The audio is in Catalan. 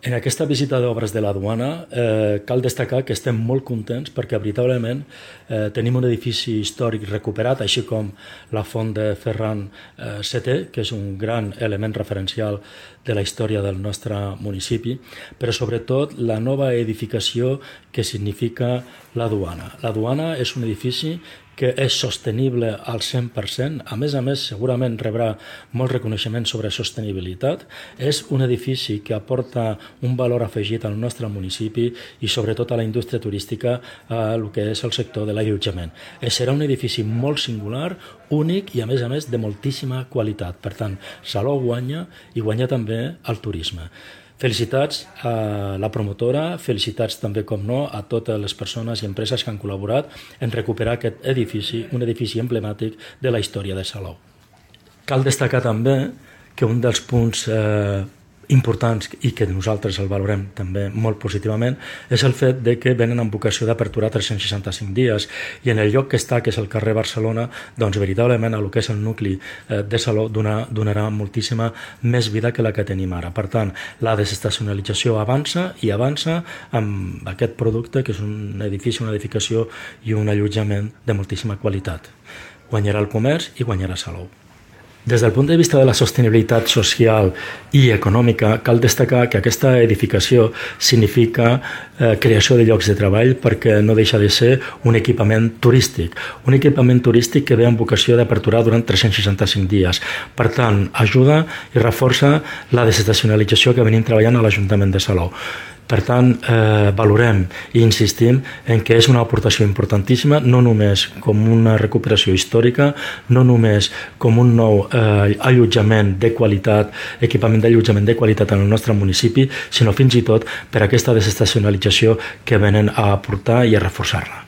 En aquesta visita d'obres de la duana cal destacar que estem molt contents perquè veritablement tenim un edifici històric recuperat, així com la font de Ferran VII, que és un gran element referencial de la història del nostre municipi, però sobretot la nova edificació que significa la duana. La duana és un edifici que és sostenible al 100%, a més, segurament rebrà molt reconeixement sobre sostenibilitat. És un edifici que aporta un valor afegit al nostre municipi i sobretot a la indústria turística, a el que és el sector de l'allotjament. Serà un edifici molt singular, únic i a més de moltíssima qualitat. Per tant, Salou guanya i guanya també el turisme. Felicitats a la promotora, felicitats també, com no, a totes les persones i empreses que han col·laborat en recuperar aquest edifici, un edifici emblemàtic de la història de Salou. Cal destacar també que un dels punts importants i que nosaltres el valorem també molt positivament és el fet de que venen amb vocació d'apertura 365 dies i en el lloc que està, que és el carrer Barcelona, doncs veritablement a el que és el nucli de Salou donarà moltíssima més vida que la que tenim ara. Per tant, la desestacionalització avança i avança amb aquest producte que és un edifici, una edificació i un allotjament de moltíssima qualitat. Guanyarà el comerç i guanyarà Salou. Des del punt de vista de la sostenibilitat social i econòmica, cal destacar que aquesta edificació significa creació de llocs de treball perquè no deixa de ser un equipament turístic que ve amb vocació d'aperturar durant 365 dies. Per tant, ajuda i reforça la desestacionalització que venim treballant a l'Ajuntament de Salou. Per tant, valorem i insistim en que és una aportació importantíssima, no només com una recuperació històrica, no només com un nou allotjament de qualitat, equipament d'allotjament de qualitat en el nostre municipi, sinó fins i tot per aquesta desestacionalització que venen a aportar i a reforçar-la.